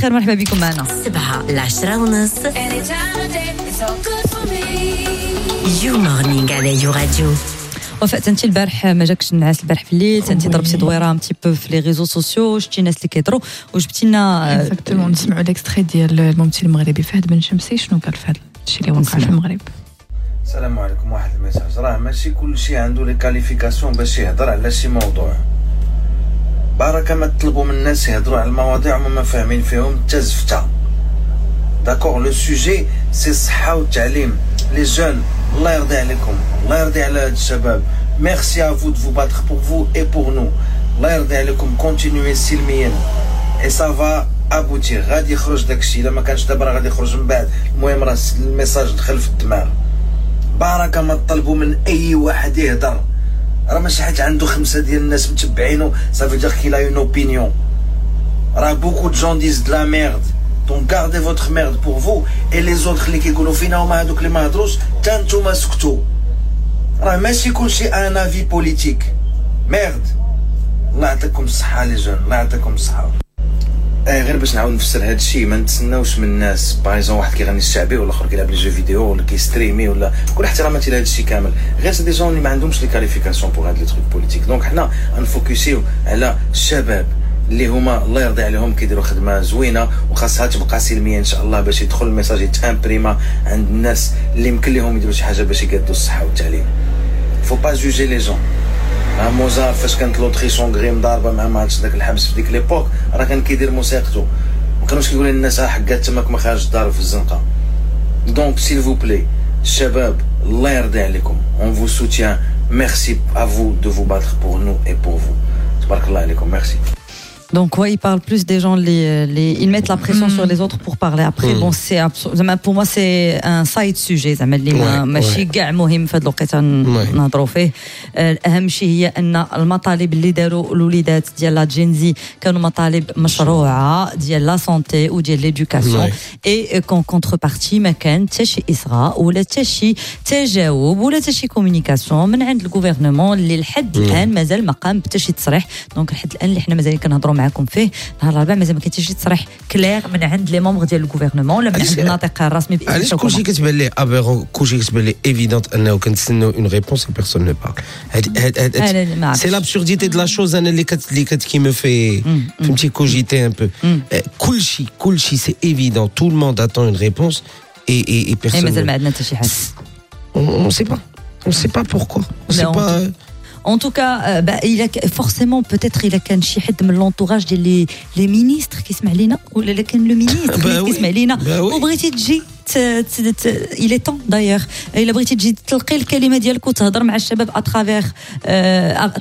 خير، مرحبا بكم معنا. 7 ل10:30 يو مورنينغ على يو راديو. وفاء، انت البارح ما جاكش النعاس، البارح في الليل انت ضربتي دويره un petit peu في les réseaux sociaux، شتي الناس اللي كيهضروا وجبتي لنا. exactement، نسمعوا l'extrait ديال الممثل المغربي فهد بن شمسي، شنو قال في هذا الشيء اللي وقع في المغرب. السلام عليكم. واحد ال message، راه ماشي كلشي عنده les qualifications باش يهضر على شي موضوع. بركة ما تطلبوا من الناس يهضروا على المواضيع وما ما فاهمين فيهم حتى زفته. d'accord، le sujet c'est الصحة والتعليم. les jeunes، الله يرضي عليكم، الله يرضي على هاد الشباب. merci à vous de vous battre pour vous et pour nous. الله يرضي عليكم، continuez سلميا et ça va aboutir. غادي يخرج داكشي، الا ما كانش دابا راه غادي يخرج من بعد. المهم راه ال message دخل في الدماغ. بركة ما تطلبوا من اي واحد يهضر، راه ماشي حيت عنده خمسة ديال الناس متبعينه ça veut dire qu'il a une opinion. راه beaucoup de gens disent de la merde، donc gardez votre merde pour vous et les autres. اللي كيقولوا فينا هما هذوك اللي ما هضروش، حتى نتوما سكتوا. راه ماشي كلشي un avis politique. merde. الله يعطيكم الصحة les jeunes، الله يعطيكم الصحه. غير باش نعاود نفسر هذا الشيء، ما نتسناوش من الناس، par exemple واحد كيغني الشعبي ولا الاخر كيلعب les jeux vidéo ولا كيستريمي ولا، كل احتراماتي لهذا الشيء كامل، غير c'est des gens اللي ما عندهمش les qualifications pour هاد les trucs politiques. donc حنا نفوكسيو على الشباب اللي هما الله يرضي عليهم كيديروا خدمة زوينة وخاصها تبقى سلمية ان شاء الله، باش يدخل ال message يتامبريما عند الناس اللي يمكن لهم يديروا شي حاجة باش يقادوا الصحة والتعليم. faut pas juger les gens. موزار فاش كانت l'Autriche-Hongrie مضاربة مع ما عرفتش داك الحبس في ديك l'époque، راه كان كيدير موسيقته، ما كانوش كيقول للناس حكات تماك ما خارج الدار في الزنقه. donc s'il vous plaît الشباب، الله يرضي عليكم، on vous soutient. merci à vous de vous battre pour nous et pour vous. تبارك الله عليكم، merci. Donc ouais, ils parlent plus des gens, ils mettent la pression sur les autres pour parler. Après, bon, زعما pour moi c'est un side sujet، زعما اللي ما ماشي كاع مهم في هذه الوقيته نهضروا فيه. اهم شيء هي ان المطالب اللي داروا الوليدات ديال la Gen Z كانوا مطالب مشروعه ديال la santé وديال l'éducation، et qu'en contrepartie ما كان حتى شي اصغاء ولا حتى شي تجاوب ولا حتى شي communication من عند ال gouvernement اللي لحد الان مازال ما قام بحتى شي تصريح. donc لحد الان اللي حنا مازال كنهضروا معكم فيه نهار الاربعاء، مازال ما كاين حتى شي تصريح clair من عند les membres ديال ال gouvernement ولا من عند الناطق الرسمي. علاش كلشي كتبان ليه aberrant، كلشي كتبان ليه évident انه كنتسناو une réponse، personne ne parle؟ c'est l'absurdité de la chose انا اللي كت qui me fait، فهمتي، cogiter un peu. كلشي كلشي c'est évident، tout le monde attend une réponse et personne. مازال ما عندنا حتى شي حاجه. on sait pas، on sait pas pourquoi، on sait pas. En tout cas, bah, il a forcément peut-être il a كان شي حد من l'entourage ديال les ministres كيسمع لينا، ولا لا كان le ministre كيسمع لينا وبغيتي تجي، il est temps d'ailleurs، الا بغيتي تجي تلقي الكلمة ديالك وتهضر مع الشباب à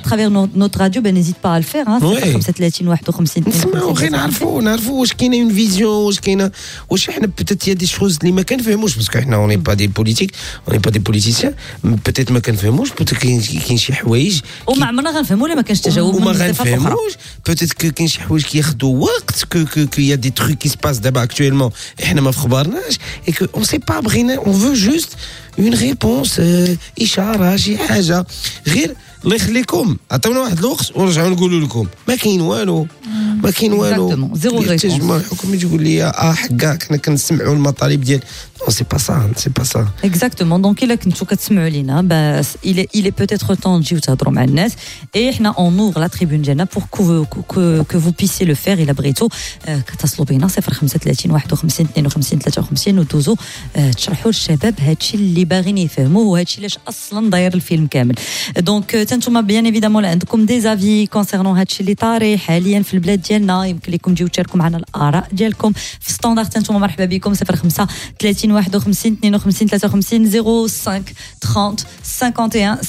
travers notre radio، ben n'hésite pas à le faire. 35 51. نسمعوا غير نعرفوا واش كاينه une vision، واش كاينه، واش حنا peut-être y a des choses اللي ما كنفهموش، parce que حنا on est pas des politiques، on est pas des politiciens. peut-être ما كنفهموش، peut-être كاين شي حوايج وما عمرنا غنفهموا ولا ما كانش تجاوب. وما غنفهموش. peut-être كاين شي حوايج كياخذوا وقت، que y a des trucs qui se passent دابا actuellement احنا ما في خبارناش et que on sait pas. بغينا، on veut juste une réponse، اشاره، شي حاجه، غير الله يخليكم عطيونا واحد الوقت ونرجعوا نقولوا لكم. ما كاين والو، ما كاين والو. zéro. التجمع الحكومي تقول لي اه حكا كنا كنسمعوا المطالب ديال، non، c'est pas ça، c'est pas ça. exactement. donc الا كنتو كتسمعوا لينا، il est peut-être temps تجيو تهضروا مع الناس، et حنا on ouvre la tribune ديالنا pour que vous puissiez le faire. الا بغيتو كتصلوا بينا 035 51 52 53 ودوزو تشرحوا للشباب هادشي اللي باغيين يفهموه، وهادشي علاش اصلا داير الفيلم كامل. donc تنتوما bien évidemment عندكم des avis concernant هادشي اللي طاري حاليا في البلاد ديالنا، يمكن لكم تجيو تشاركوا معنا الاراء ديالكم في standard. تنتوما مرحبا بكم، 05 30 51 52 53، 05 30 51.